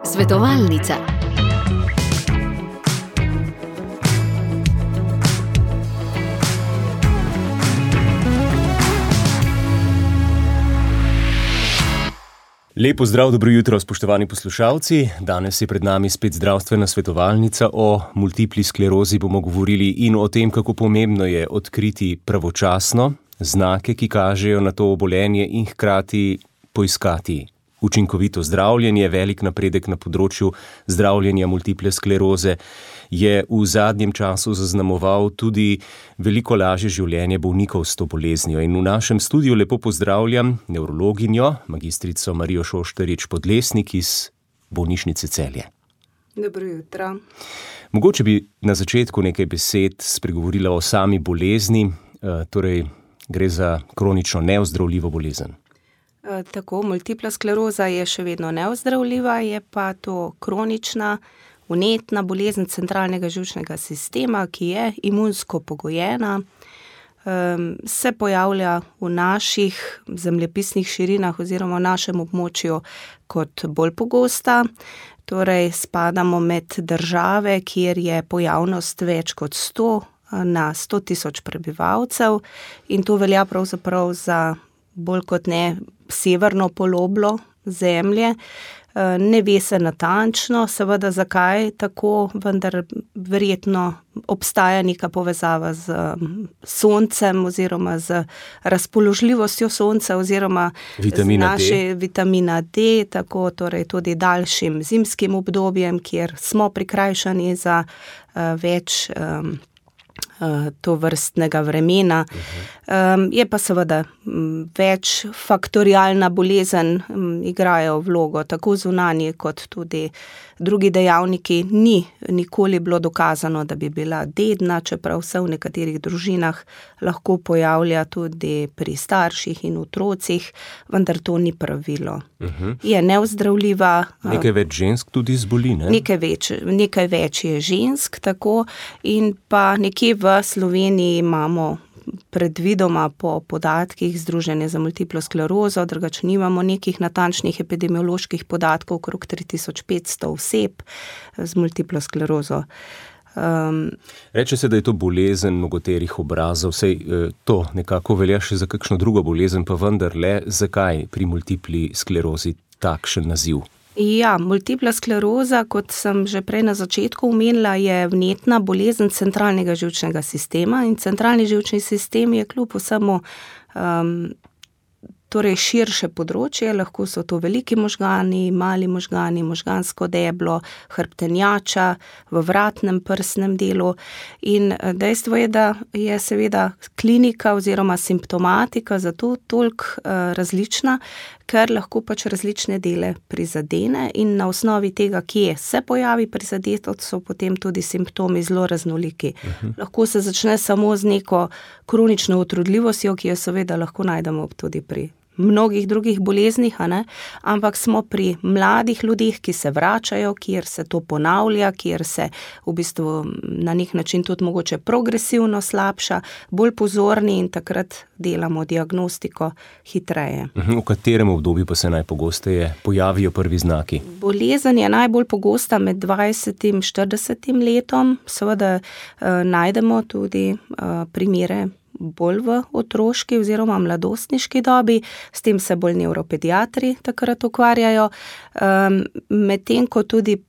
Svetovalnica. Lep pozdrav, dobro jutro, spoštovani poslušalci. Danes je pred nami spet zdravstvena svetovalnica. O multipli sklerozi bomo govorili in o tem, kako pomembno je odkriti pravočasno znake, ki kažejo na to obolenje, in hkrati poiskati učinkovito zdravljenje. Velik napredek na področju zdravljenja multiple skleroze je v zadnjem času zaznamoval tudi veliko lažje življenje bolnikov s to boleznijo. In v našem studiu lepo pozdravljam nevrologinjo, magistrico Marijo Šoštarič-Podlesnik iz bolnišnice Celje. Dobro jutro. Mogoče bi na začetku nekaj besed spregovorila o sami bolezni, torej gre za kronično neozdravljivo bolezen. Tako, multipla skleroza je še vedno neozdravljiva, je pa to kronična, vnetna bolezen centralnega živčnega sistema, ki je imunsko pogojena, se pojavlja v naših zemljepisnih širinah oziroma v našem območju kot bolj pogosta. Torej, spadamo med države, kjer je pojavnost več kot 100 na 100 tisoč prebivalcev, in to velja pravzaprav za bolj kot ne severno poloblo Zemlje. Ne ve se natančno, seveda zakaj tako, vendar verjetno obstaja neka povezava z soncem oziroma z razpoložljivostjo sonca oziroma vitamina D, tako torej tudi daljšim zimskim obdobjem, kjer smo prikrajšani za več to vrstnega vremena. Je pa seveda večfaktorialna bolezen, igrajo vlogo tako zunanji kot tudi drugi dejavniki. Ni nikoli bilo dokazano, da bi bila dedna, čeprav se v nekaterih družinah lahko pojavlja tudi pri starših in otrocih, vendar to ni pravilo. Je neozdravljiva. Nekaj več žensk tudi zboli, ne? Nekaj več je žensk, tako, in pa nekje v Sloveniji imamo predvidoma po podatkih Združenja za multiplo sklerozo, drugače nimamo nekih natančnih epidemioloških podatkov, okrog 3500 oseb z multiplo sklerozo. Reče se, da je to bolezen mnogoterih obrazov, sej to nekako velja še za kakšno drugo bolezen, pa vendarle, zakaj pri multipli sklerozi takšen naziv? Ja, multipla skleroza, kot sem že prej na začetku omenila, je vnetna bolezen centralnega živčnega sistema, in centralni živčni sistem je kljub vsemu torej širše področje, lahko so to veliki možgani, mali možgani, možgansko deblo, hrbtenjača v vratnem prsnem delu, in dejstvo je, da je seveda klinika oziroma simptomatika zato toliko različna, ker lahko pač različne dele prizadene, in na osnovi tega, kje se pojavi prizadetost, so potem tudi simptomi zelo raznoliki. Lahko se začne samo z neko kronično utrudljivostjo, ki jo seveda lahko najdemo tudi pri mnogih drugih boleznih, ampak smo pri mladih ljudeh, ki se vračajo, kjer se to ponavlja, kjer se v bistvu na nek način tudi mogoče progresivno slabša, bolj pozorni, in takrat delamo diagnostiko hitreje. V katerem obdobju pa se najpogosteje pojavijo prvi znaki? Bolezen je najbolj pogosta med 20 in 40 letom, seveda najdemo tudi primere bolj v otroški oziroma mladostniški dobi, s tem se bolj nevropediatri takrat ukvarjajo, medtem ko tudi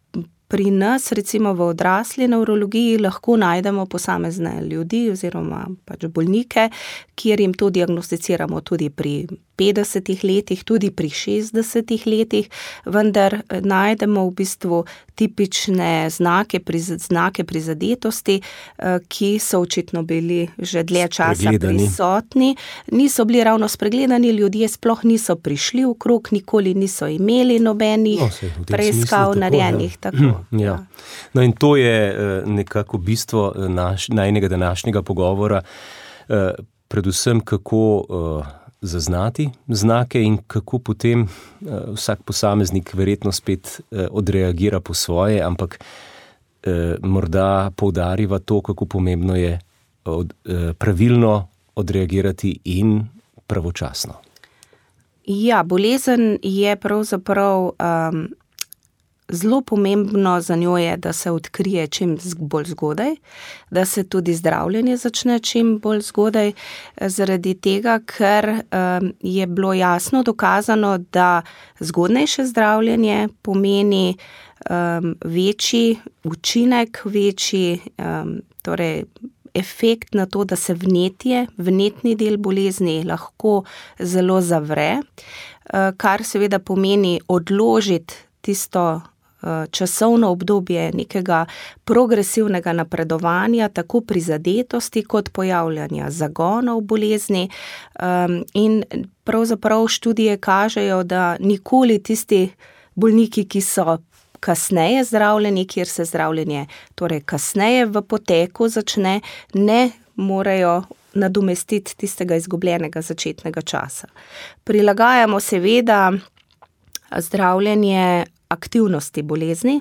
pri nas, recimo v odrasli nevrologiji, lahko najdemo posamezne ljudi oziroma pač bolnike, kjer jim to diagnosticiramo tudi pri 50 letih, tudi pri 60 letih, vendar najdemo v bistvu tipične znake prizadetosti, ki so očitno bili že dlje časa prisotni. Niso bili ravno spregledani, ljudje sploh niso prišli okrog, nikoli niso imeli nobenih preiskav narejenih. Ja. No, in to je nekako bistvo najinega današnjega pogovora, predvsem kako zaznati znake in kako potem vsak posameznik verjetno spet odreagira po svoje, ampak morda poudariva to, kako pomembno je pravilno odreagirati in pravočasno. Ja, bolezen je pravzaprav zelo pomembno za njo je, da se odkrije čim bolj zgodaj, da se tudi zdravljenje začne čim bolj zgodaj, zaradi tega, ker je bilo jasno dokazano, da zgodnejše zdravljenje pomeni večji učinek, večji torej efekt na to, da se vnetni del bolezni lahko zelo zavre, kar seveda pomeni odložiti tisto časovno obdobje nekega progresivnega napredovanja, tako prizadetosti kot pojavljanja zagonov bolezni, in pravzaprav študije kažejo, da nikoli tisti bolniki, ki so kasneje zdravljeni, kjer se zdravljenje torej kasneje v poteku začne, ne morejo nadomestiti tistega izgubljenega začetnega časa. Prilagajamo seveda zdravljenje aktivnosti bolezni.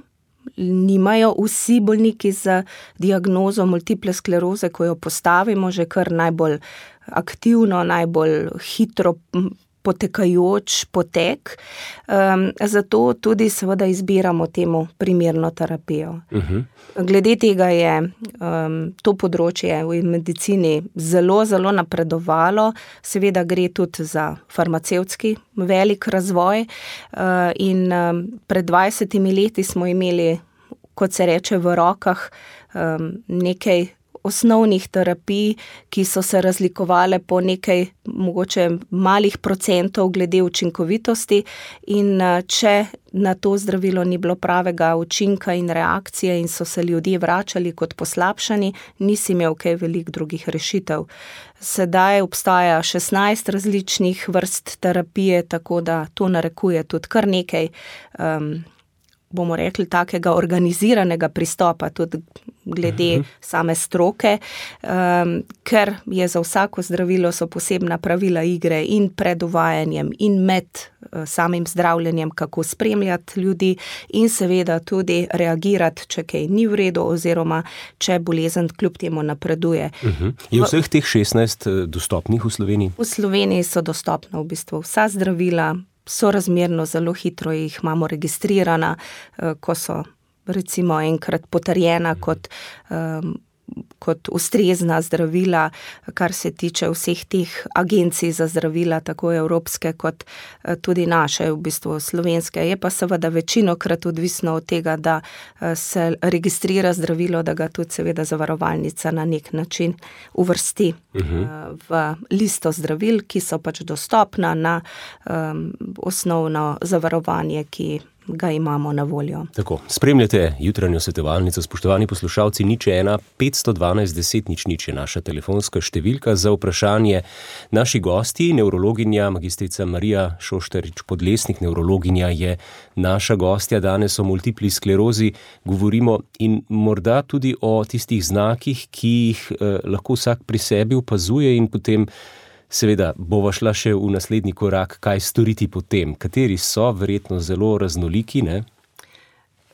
Nimajo vsi bolniki z diagnozo multiple skleroze, ko jo postavimo že kar najbolj aktivno, najbolj hitro potekajoč potek, zato tudi seveda izbiramo temu primerno terapijo. Glede tega je to področje v medicini zelo, zelo napredovalo, seveda gre tudi za farmacevtski velik razvoj, in pred 20 leti smo imeli, kot se reče, v rokah nekaj osnovnih terapij, ki so se razlikovale po nekaj mogoče malih procentov glede učinkovitosti, in če na to zdravilo ni bilo pravega učinka in reakcije in so se ljudje vračali kot poslabšani, nisi imel kaj veliko drugih rešitev. Sedaj obstaja 16 različnih vrst terapije, tako da to narekuje tudi kar nekaj, bomo rekli, takega organiziranega pristopa, tudi glede same stroke, ker je za vsako zdravilo so posebna pravila igre in pred uvajanjem in med samim zdravljenjem, kako spremljati ljudi in seveda tudi reagirati, če kaj ni v redu oziroma če bolezen kljub temu napreduje. Je vseh teh 16 dostopnih v Sloveniji? V Sloveniji so dostopna v bistvu vsa zdravila, sorazmerno zelo hitro jih imamo registrirana, ko so recimo enkrat potrjena kot ustrezna zdravila, kar se tiče vseh teh agencij za zdravila, tako evropske kot tudi naše, v bistvu slovenske. Je pa seveda večinokrat odvisno od tega, da se registrira zdravilo, da ga tudi seveda zavarovalnica na nek način uvrsti v listo zdravil, ki so pač dostopna na osnovno zavarovanje, ki ga imamo na voljo. Tako, spremljate jutranjo svetovalnico, spoštovani poslušalci, 01 512 10 00 je naša telefonska številka za vprašanje. Naši gosti, nevrologinja magistrica Marija Šošterič-Podlesnik, nevrologinja, je naša gostja danes o multipli sklerozi. Govorimo in morda tudi o tistih znakih, ki jih lahko vsak pri sebi opazuje, in potem seveda bova šla še v naslednji korak, kaj storiti potem. Kateri so verjetno zelo raznoliki, ne?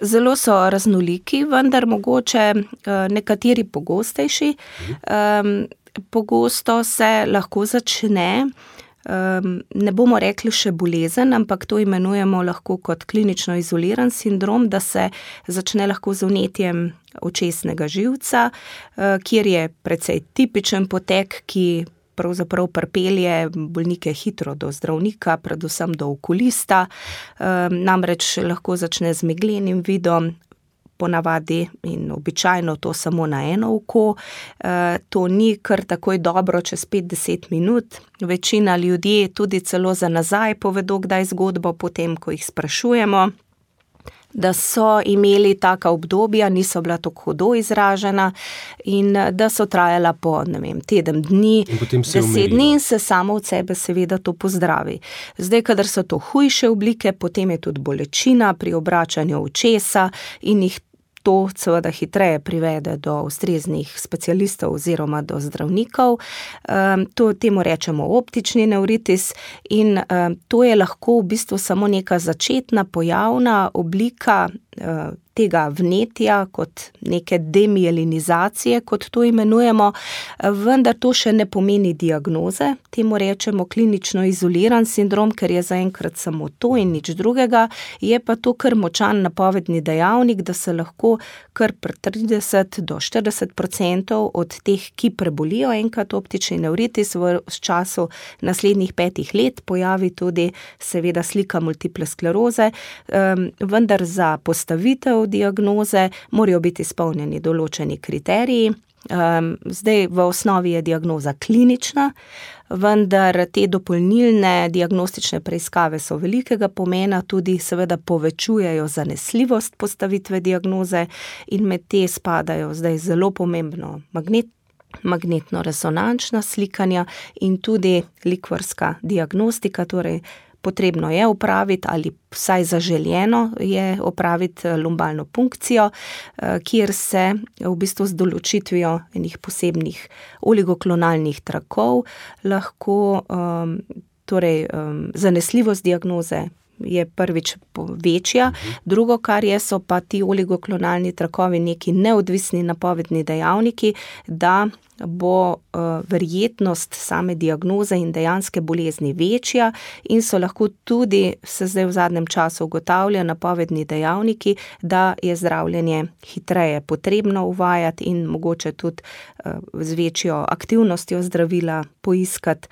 Zelo so raznoliki, vendar mogoče nekateri pogostejši. Pogosto se lahko začne, ne bomo rekli še bolezen, ampak to imenujemo lahko kot klinično izoliran sindrom, da se začne lahko z vnetjem očesnega živca, kjer je precej tipičen potek, ki pravzaprav pripelje bolnike hitro do zdravnika, predvsem do okulista, namreč lahko začne z meglenim vidom, ponavadi in običajno to samo na eno oko. To ni kar takoj dobro čez 5-10 minut. Večina ljudi tudi celo za nazaj povedo kdaj zgodbo, potem ko jih sprašujemo, da so imeli taka obdobja, niso bila tako hudo izražena in da so trajala po, teden dni, 10 dni in se samo od sebe seveda to pozdravi. Zdaj, kadar so to hujše oblike, potem je tudi bolečina pri obračanju očesa in jih to seveda hitreje privede do ustreznih specialistov oziroma do zdravnikov. Temu rečemo optični nevritis in to je lahko v bistvu samo neka začetna pojavna oblika tega vnetja, kot neke demielinizacije, kot to imenujemo, vendar to še ne pomeni diagnoze. Temu rečemo klinično izoliran sindrom, ker je zaenkrat samo to in nič drugega. Je pa to kar močan napovedni dejavnik, da se lahko kar pri 30 do 40% od teh, ki prebolijo enkrat optični nevritis, v času naslednjih 5 let pojavi tudi seveda slika multiple skleroze, vendar za postavitev diagnoze morajo biti izpolnjeni določeni kriteriji. Zdaj v osnovi je diagnoza klinična, vendar te dopolnilne diagnostične preiskave so velikega pomena, tudi seveda povečujejo zanesljivost postavitve diagnoze in med te spadajo zdaj zelo pomembno magnetno-resonančna slikanja in tudi likvorska diagnostika, torej potrebno je opraviti ali vsaj zaželjeno je opraviti lumbalno punkcijo, kjer se v bistvu z določitvijo enih posebnih oligoklonalnih trakov lahko zanesljivost diagnoze je prvič večja, drugo, kar je, so pa ti oligoklonalni trakovi neki neodvisni napovedni dejavniki, da bo verjetnost same diagnoze in dejanske bolezni večja in so lahko tudi, se zdaj v zadnjem času ugotavlja, napovedni dejavniki, da je zdravljenje hitreje potrebno uvajati in mogoče tudi z večjo aktivnostjo zdravila poiskati,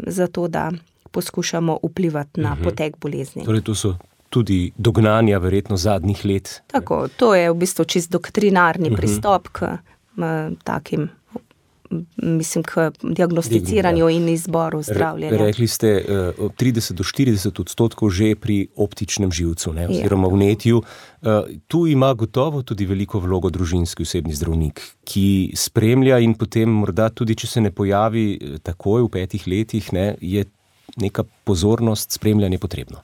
zato da poskušamo vplivati na potek bolezni. Torej, to so tudi dognanja verjetno zadnjih let. Tako, to je v bistvu čist doktrinarni pristop k takim, k diagnosticiranju in izboru zdravljenja. Rekli ste 30 do 40% že pri optičnem živcu, ne, oziroma vnetju. Tu ima gotovo tudi veliko vlogo družinski osebni zdravnik, ki spremlja in potem morda tudi, če se ne pojavi takoj v 5 letih, ne, je neka pozornost, spremljanje potrebno.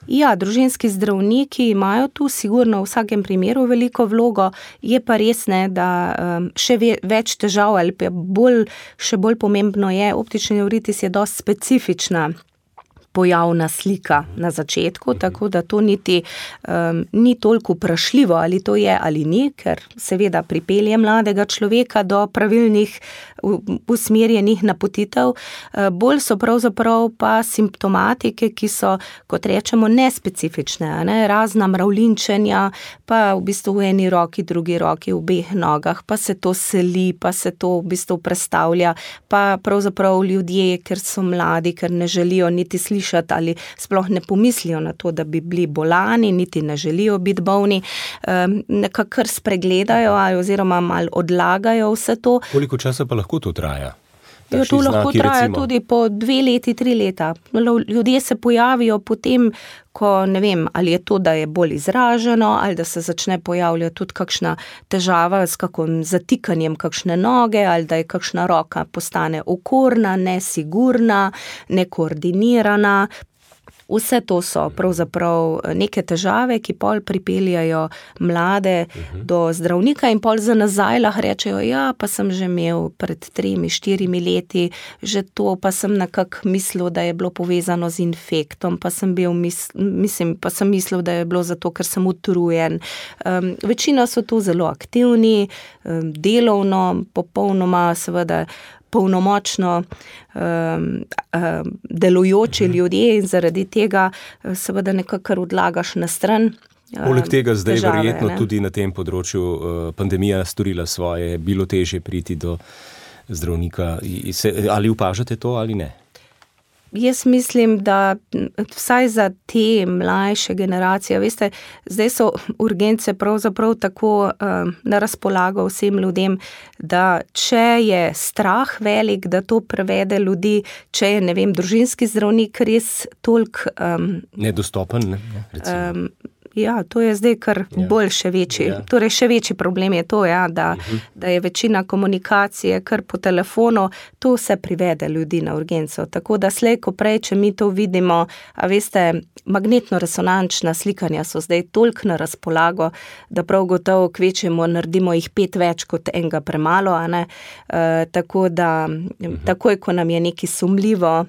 Ja, družinski zdravniki imajo tu sigurno v vsakem primeru veliko vlogo, je pa res, ne, da še več težav ali pa še bolj pomembno je, optični nevritis je dosti specifična pojavna slika na začetku, tako da to niti ni toliko vprašljivo, ali to je ali ni, ker seveda pripelje mladega človeka do pravilnih usmerjenih napotitev. Bolj so pravzaprav pa simptomatike, ki so, kot rečemo, nespecifične, ne? Razna mravljinčenja, pa v bistvu v eni roki, drugi roki, v obeh nogah, pa se to seli, pa se to v bistvu prestavlja, pa pravzaprav ljudje, ker so mladi, ker ne želijo niti slišati ali sploh ne pomislijo na to, da bi bili bolani, niti ne želijo biti bolni, nekako kar spregledajo oziroma malo odlagajo vse to. Koliko časa pa lahko to traja? To lahko traja tudi po 2 leti, 3 leta. Ljudje se pojavijo potem, ko ne vem, ali je to, da je bolj izraženo, ali da se začne pojavljati tudi kakšna težava s kakšnim zatikanjem kakšne noge, ali da je kakšna roka postane okorna, nesigurna, nekoordinirana. Vse to so pravzaprav neke težave, ki pol pripeljajo mlade do zdravnika in pol za nazaj lahko rečejo, ja, pa sem že imel pred 3-4 leti, že to, pa sem nekako mislil, da je bilo povezano z infektom, pa sem mislil, da je bilo zato, ker sem utrujen. Večina so tu zelo aktivni, delovno, popolnoma seveda polnomočno delujoči ljudje in zaradi tega seveda nekako odlagaš na stran. Poleg tega zdaj verjetno tudi na tem področju pandemija storila svoje, bilo težje priti do zdravnika. Ali opažate to ali ne? Jaz mislim, da vsaj za te mlajše generacije, veste, zdaj so urgence pravzaprav tako na razpolago vsem ljudem, da če je strah velik, da to prevede ljudi, če je, ne vem, družinski zdravnik res toliko nedostopen, ne? Recimo. Ja, to je zdaj kar bolj še večji. Torej, še večji problem je to, da je večina komunikacije kar po telefonu, to vse privede ljudi na urgenco. Tako da slej, ko prej, če mi to vidimo, a veste, magnetno-resonančna slikanja so zdaj toliko na razpolago, da prav gotovo kvečemo, naredimo jih 5 več kot enega premalo, a ne? Tako da, takoj, ko nam je nekaj sumljivo,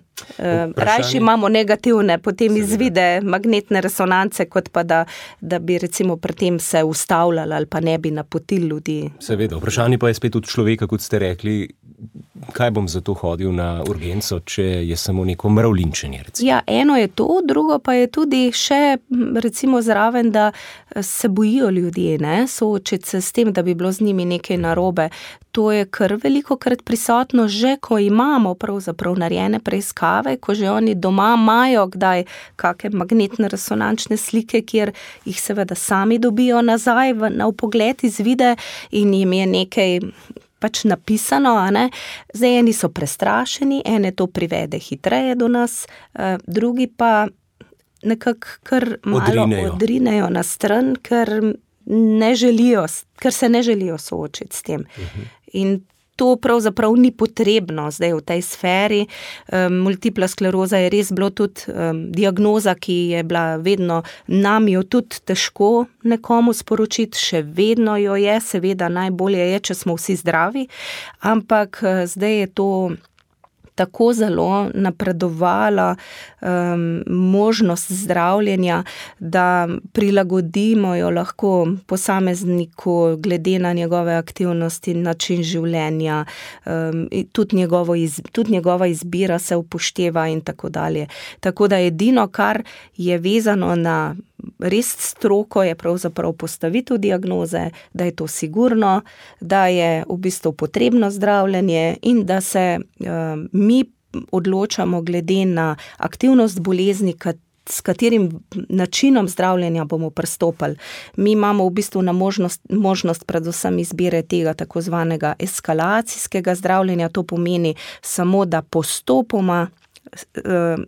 Rajši imamo negativne potem izvide magnetne resonance, kot pa da bi recimo pri tem se ustavljali ali pa ne bi napotili ljudi. Seveda, vprašanje pa je spet od človeka, kot ste rekli, kaj bom zato hodil na urgenco, če je samo neko mravljinčenje, recimo. Ja, eno je to, drugo pa je tudi še recimo zraven, da se bojijo ljudje, ne, soočiti se s tem, da bi bilo z njimi nekaj narobe. To je kar velikokrat prisotno, že ko imamo pravzaprav narejene preiskave, ko že oni doma imajo kdaj kakšne magnetne resonančne slike, kjer jih seveda sami dobijo nazaj na vpogled izvide in jim je nekaj pač napisano, a ne. Zdaj eni so prestrašeni, ene to privede hitreje do nas, drugi pa nekako kar malo odrinejo na stran, ker se ne želijo soočiti s tem. In to pravzaprav ni potrebno zdaj v tej sferi. Multipla skleroza je res bilo tudi diagnoza, ki je bila vedno, nam jo tudi težko nekomu sporočiti, še vedno jo je, seveda najbolje je, če smo vsi zdravi, ampak zdaj je to tako zelo napredovala možnost zdravljenja, da prilagodimo jo lahko posamezniku glede na njegove aktivnosti, način življenja, tudi njegova izbira se upošteva in tako dalje. Tako da edino, kar je vezano na res stroko, je pravzaprav postavitev diagnoze, da je to sigurno, da je v bistvu potrebno zdravljenje in da se mi odločamo glede na aktivnost bolezni, s katerim načinom zdravljenja bomo pristopili. Mi imamo v bistvu na možnost predvsem izbire tega tako zvanega eskalacijskega zdravljenja, to pomeni samo, da postopoma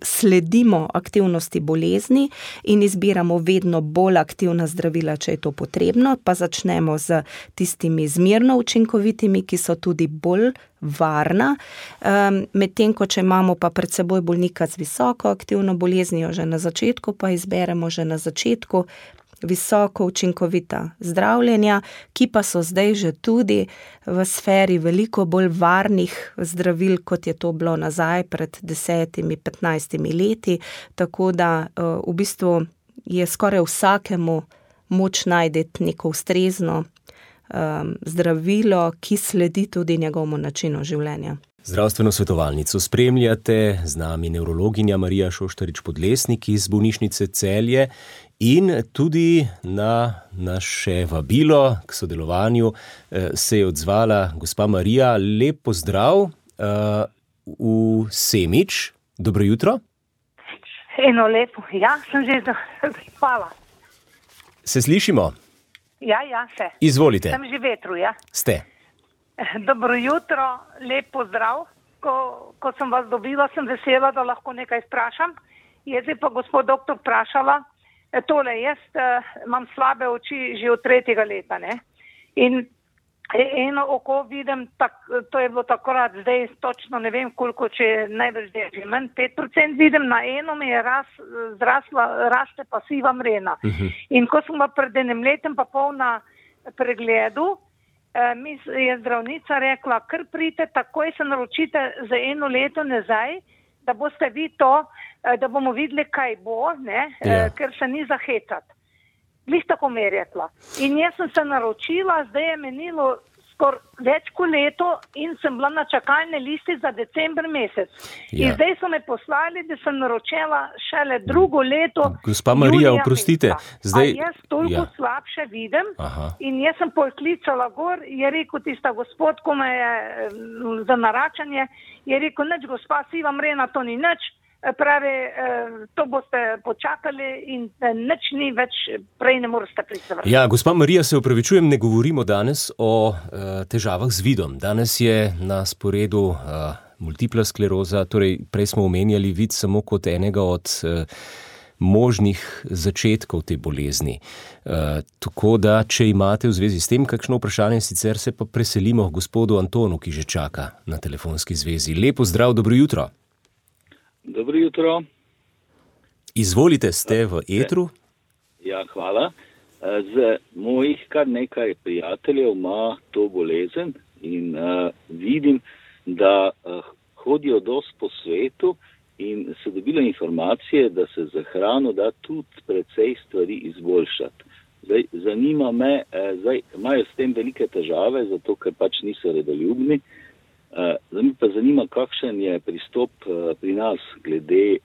sledimo aktivnosti bolezni in izbiramo vedno bolj aktivna zdravila, če je to potrebno, pa začnemo z tistimi zmerno učinkovitimi, ki so tudi bolj varna, medtem ko če imamo pa pred seboj bolnika z visoko aktivno boleznijo že na začetku, pa izberemo že na začetku visoko učinkovita zdravljenja, ki pa so zdaj že tudi v sferi veliko bolj varnih zdravil, kot je to bilo nazaj pred 10-15 leti, tako da v bistvu je skoraj vsakemu moč najti neko ustrezno zdravilo, ki sledi tudi njegovemu načinu življenja. Zdravstveno svetovalnico spremljate z nami nevrologinja Marija Šoštarič-Podlesnik iz bolnišnice Celje in tudi na naše vabilo k sodelovanju se je odzvala gospa Marija. Lep pozdrav v Semič. Dobro jutro. Eno lepo. Ja, sem že hvala. Se slišimo? Ja, se. Izvolite. Sem že vetru, ja. Ste. Dobro jutro, lep pozdrav. Ko sem vas dobila, sem vesela, da lahko nekaj vprašam. Jaz je pa gospod doktor vprašala, tole, jaz imam slabe oči že od 3. leta, ne? In eno oko vidim, to je bilo takrat, zdaj točno ne vem koliko, če je največ že manj, 5% vidim, na eno mi je raste pa siva mrena. In ko sem pa pred enim letem pa pol na pregledu, mi je zdravnica rekla, kar pridite, takoj se naročite za 1 leto nazaj, da boste vi to, da bomo videli, kaj bo, ne, ker se ni zahecati. Glih tako mi je rekla. In jaz sem se naročila, zdaj je menilo skoraj več kot leto in sem bila na čakalni listi za december mesec. Ja. In zdaj so me poslali, da sem naročila šele 2. leto. Gospa Marija, oprostite. Zdaj, a jaz toliko slabše vidim. In jaz sem poklicala gor, je rekel tista gospod, ko me je za naračanje, je rekel, nič gospa, siva mrena, to ni nič. Pravi, to boste počakali in nič ni več, prej ne morate priti. Ja, gospa Marija, se opravičujem, ne govorimo danes o težavah z vidom. Danes je na sporedu multipla skleroza, torej prej smo omenjali vid samo kot enega od možnih začetkov te bolezni. Tako da, če imate v zvezi s tem kakšno vprašanje, sicer se pa preselimo gospodu Antonu, ki že čaka na telefonski zvezi. Lepo zdrav, dobro jutro. Dobro jutro. Izvolite, ste v etru? Ja, hvala. Z mojih kar nekaj prijateljev ima to bolezen in vidim, da hodijo dosti po svetu in so dobile informacije, da se za hrano da tudi precej stvari izboljšati. Zdaj, zanima me, imajo s tem velike težave, zato ker pač niso redoljubni. Zdaj me pa zanima, kakšen je pristop pri nas glede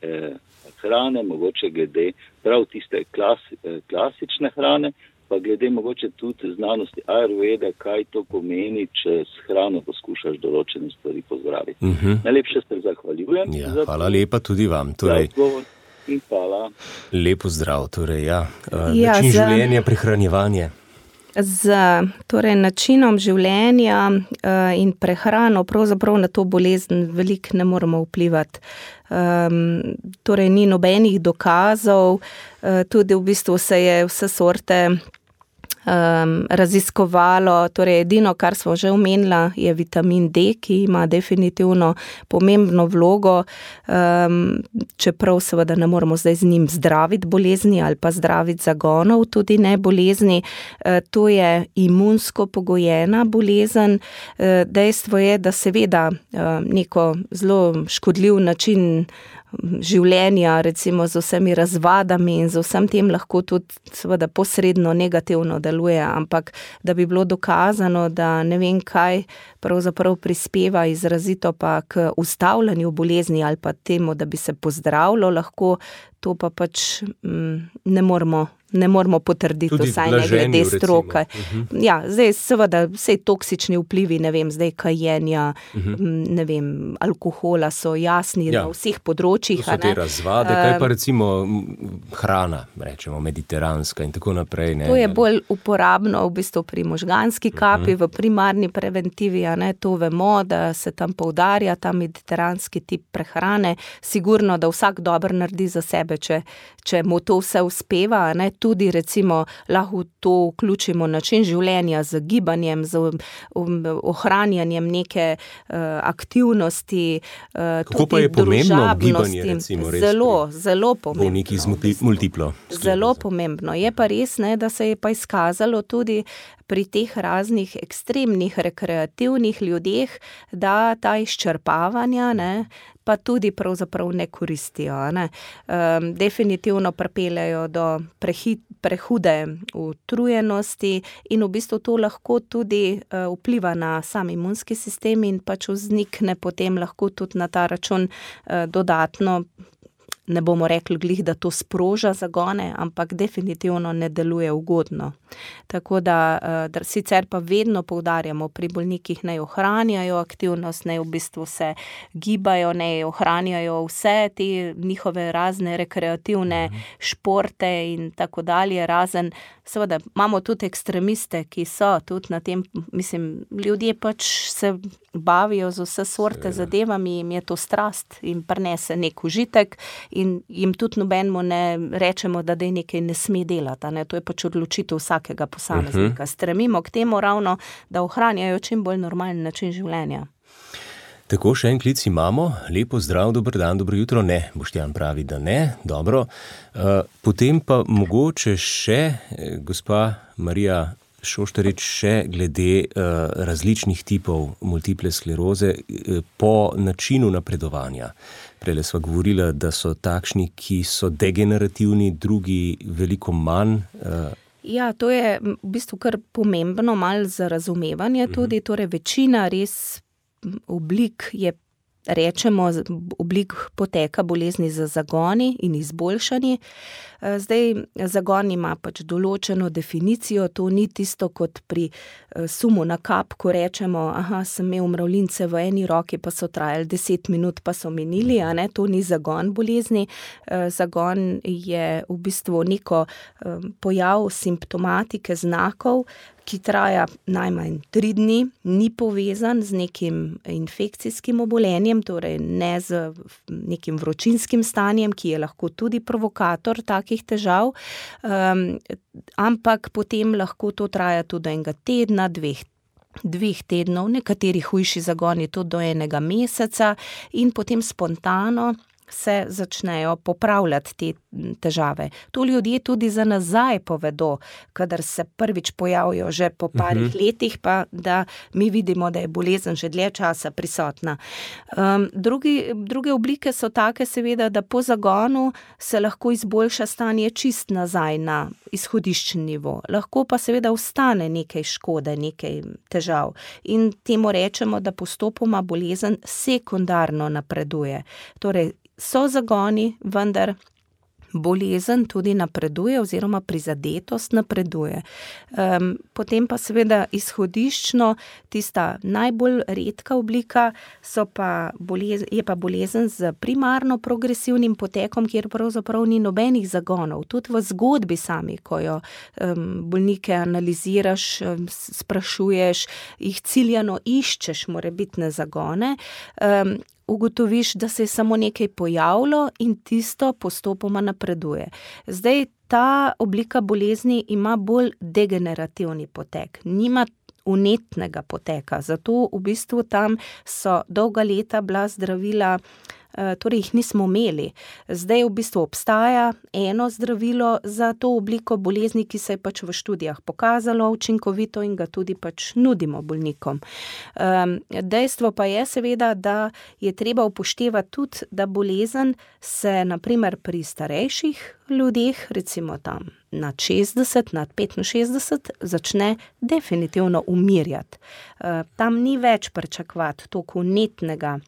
hrane, mogoče glede prav tiste klasične hrane, pa glede mogoče tudi znanosti Ayurvede, kaj to pomeni, če s hrano poskušaš določene stvari pozdraviti. Najlepše se zahvaljujem. Ja, hvala lepa tudi vam. Torej, in hvala. Lepo zdrav. Torej, način življenja, prehranjevanje. Z načinom življenja in prehrano pravzaprav na to bolezen veliko ne moremo vplivati. Torej ni nobenih dokazov, tudi v bistvu se je vse sorte raziskovalo, torej edino, kar smo že omenila, je vitamin D, ki ima definitivno pomembno vlogo, čeprav seveda ne moremo zdaj z njim zdraviti bolezni ali pa zdraviti zagonov, tudi ne bolezni. To je imunsko pogojena bolezen. Dejstvo je, da seveda neko zelo škodljiv način življenja, recimo z vsemi razvadami in z vsem tem lahko tudi seveda posredno negativno deluje, ampak da bi bilo dokazano, da ne vem kaj pravzaprav prispeva izrazito pa k ustavljanju bolezni ali pa temu, da bi se pozdravilo lahko, to pa pač ne moramo potrditi, vsaj ne glede stroke. Ja, zdaj seveda vse toksični vplivi, ne vem, zdaj kajenja, ne vem, alkohola so jasni na vseh področjih. To so te razvade, kaj pa recimo hrana, rečemo mediteranska in tako naprej. To je bolj uporabno v bistvu pri možganski kapi, v primarni preventivi, to vemo, da se tam poudarja ta mediteranski tip prehrane. Sigurno, da vsak dobro naredi za sebe, če mu to vse uspeva, tudi recimo lahko to vključimo način življenja z gibanjem, z ohranjanjem neke aktivnosti, kako pa je pomembno gibanje, recimo, res? Zelo pomembno. Bolniki z multiplo sklerozo. Zelo pomembno. Je pa res, da se je pa izkazalo tudi pri teh raznih ekstremnih rekreativnih ljudeh, da ta izčrpavanja, pa tudi pravzaprav ne koristijo. Definitivno pripeljejo do prehude utrujenosti in v bistvu to lahko tudi vpliva na sam imunski sistem in pač vznikne potem lahko tudi na ta račun dodatno, ne bomo rekli glih, da to sproža zagone, ampak definitivno ne deluje ugodno. Tako da sicer pa vedno poudarjamo pri bolnikih, naj ohranjajo aktivnost, naj v bistvu se gibajo, naj ohranjajo vse te njihove razne rekreativne športe in tako dalje, razen seveda imamo tudi ekstremiste, ki so tudi na tem, ljudje pač se bavijo z vse sorte zadevami, jim je to strast in prinese nek užitek in jim tudi nobenemu ne rečemo, da nekaj ne sme delati. To je pač odločitev vsakega posameznika. Stremimo k temu ravno, da ohranjajo čim bolj normalen način življenja. Tako, še en klic imamo. Lepo zdrav, dober dan, dobro jutro. Ne, Boštjan pravi, da ne. Dobro. Potem pa mogoče še, gospa Marija Šoštarič, še glede različnih tipov multiple skleroze po načinu napredovanja. Prejle sva govorila, da so takšni, ki so degenerativni, drugi veliko manj. Ja, to je v bistvu kar pomembno, malo za razumevanje tudi, torej večina res oblik je, rečemo, oblik poteka bolezni z zagoni in izboljšanji. Zdaj, zagon ima pač določeno definicijo, to ni tisto kot pri sumu na kap, ko rečemo, sem imel mravljince v eni roki, pa so trajali 10 minut, pa so minili, to ni zagon bolezni. Zagon je v bistvu neko pojav simptomatike znakov, ki traja najmanj 3 dni, ni povezan z nekim infekcijskim obolenjem, torej ne z nekim vročinskim stanjem, ki je lahko tudi provokator takih težav, ampak potem lahko to traja tudi enega tedna, dveh tednov, nekateri hujši zagoni tudi do 1 meseca in potem spontano se začnejo popravljati te težave. To ljudje tudi za nazaj povedo, kadar se prvič pojavijo že po parih letih, pa da mi vidimo, da je bolezen že dlje časa prisotna. Druge oblike so take seveda, da po zagonu se lahko izboljša stanje čist nazaj na izhodiščni nivo. Lahko pa seveda ostane nekaj škode, nekaj težav. In temu rečemo, da postopoma bolezen sekundarno napreduje. Torej, so zagoni, vendar bolezen tudi napreduje oziroma prizadetost napreduje. Potem pa seveda izhodiščno, tista najbolj redka oblika je pa bolezen z primarno progresivnim potekom, kjer pravzaprav ni nobenih zagonov. Tudi v zgodbi sami, ko jo bolnike analiziraš, sprašuješ, jih ciljano iščeš morebitne zagone, ugotoviš, da se je samo nekaj pojavilo in tisto postopoma napreduje. Zdaj, ta oblika bolezni ima bolj degenerativni potek, nima vnetnega poteka, zato v bistvu tam so dolga leta bila zdravila, torej jih nismo imeli. Zdaj v bistvu obstaja eno zdravilo za to obliko bolezni, ki se je pač v študijah pokazalo učinkovito in ga tudi pač nudimo bolnikom. Dejstvo pa je seveda, da je treba upoštevati tudi, da bolezen se na primer pri starejših ljudeh, recimo tam nad 60, nad 65, začne definitivno umirjati. Tam ni več pričakovati toliko vnetnega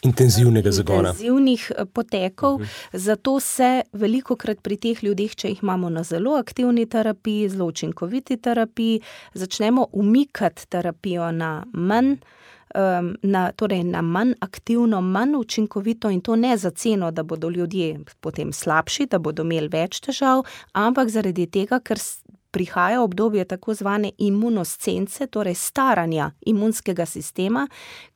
intenzivnega zagona. Intenzivnih potekov, zato se velikokrat pri teh ljudeh, če jih imamo na zelo aktivni terapiji, zelo učinkoviti terapiji, začnemo umikati terapijo na manj, na manj aktivno, manj učinkovito in to ne za ceno, da bodo ljudje potem slabši, da bodo imeli več težav, ampak zaradi tega, ker prihaja obdobje tako zvane imunoscence, torej staranja imunskega sistema,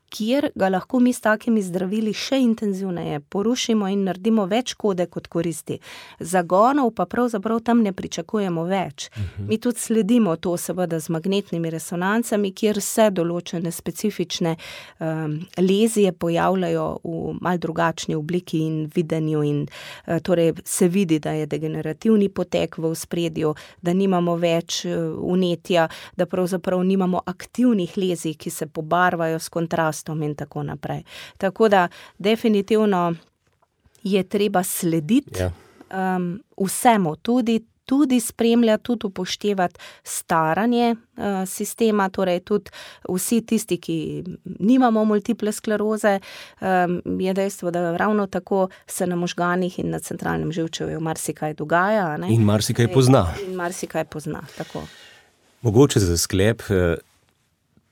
kjer ga lahko mi s takimi zdravili še intenzivneje porušimo in naredimo več škode kot koristi. Zagonov pa pravzaprav tam ne pričakujemo več. Mi tudi sledimo to seveda z magnetnimi resonancami, kjer se določene specifične lezije pojavljajo v malo drugačni obliki in videnju in torej se vidi, da je degenerativni potek v ospredju, da nimamo več vnetja, da pravzaprav nimamo aktivnih lezij, ki se pobarvajo s kontrastom in tako naprej. Tako da definitivno je treba slediti vsemu, tudi spremljati, tudi upoštevati staranje sistema, torej tudi vsi tisti, ki nimamo multiple skleroze, je dejstvo, da ravno tako se na možganih in na centralnem živčevju marsikaj dogaja. Ne? In marsikaj pozna. In marsikaj pozna, tako. Mogoče za sklep,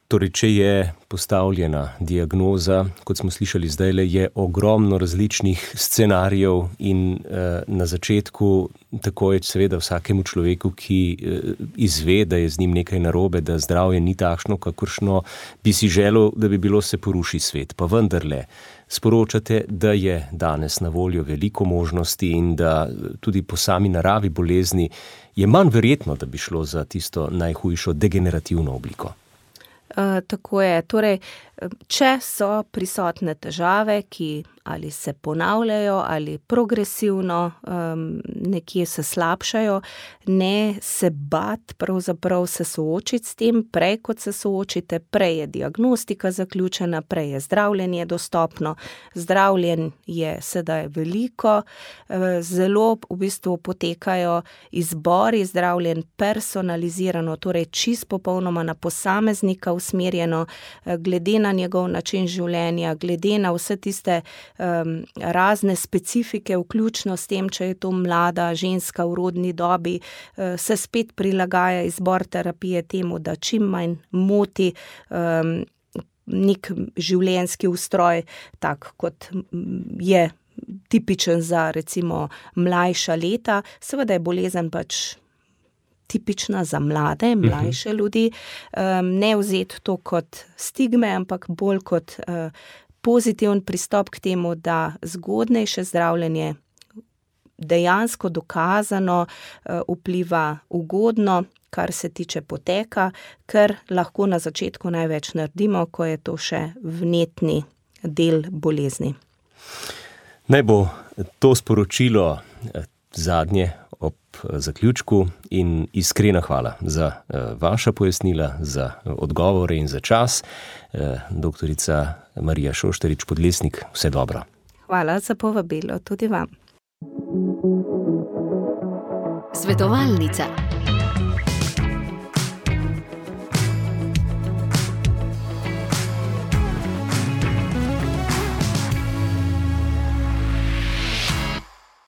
torej, če je postavljena diagnoza, kot smo slišali zdajle, je ogromno različnih scenarijev in na začetku tako je seveda vsakemu človeku, ki izve, da je z njim nekaj narobe, da zdravje ni takšno, kakršno bi si želel, da bi bilo, se poruši svet. Pa vendarle sporočate, da je danes na voljo veliko možnosti in da tudi po sami naravi bolezni je manj verjetno, da bi šlo za tisto najhujšo degenerativno obliko. Tako je. Torej, če so prisotne težave, ki ali se ponavljajo ali progresivno nekje se slabšajo, ne se bati, pravzaprav se soočiti s tem, prej kot se soočite, prej je diagnostika zaključena, prej je zdravljenje dostopno, zdravljenj je sedaj veliko, zelo v bistvu potekajo izbori zdravljenj personalizirano, torej čisto popolnoma na posameznika usmerjeno, glede na njegov način življenja, glede na vse tiste razne specifike, vključno s tem, če je to mlada ženska v rodni dobi, se spet prilagaja izbor terapije temu, da čim manj moti nek življenjski ustroj, tak kot je tipičen za recimo mlajša leta. Seveda je bolezen pač tipična za mlade, mlajše ljudi, ne vzeti to kot stigme, ampak bolj kot pozitiven pristop k temu, da zgodnejše zdravljenje dejansko dokazano vpliva ugodno, kar se tiče poteka, ker lahko na začetku največ naredimo, ko je to še vnetni del bolezni. Naj bo to sporočilo zadnje ob zaključku in iskrena hvala za vaša pojasnila, za odgovore in za čas. Doktorica Marija Šoštarič-Podlesnik, vse dobro. Hvala za povabilo tudi vam. Svetovalnica.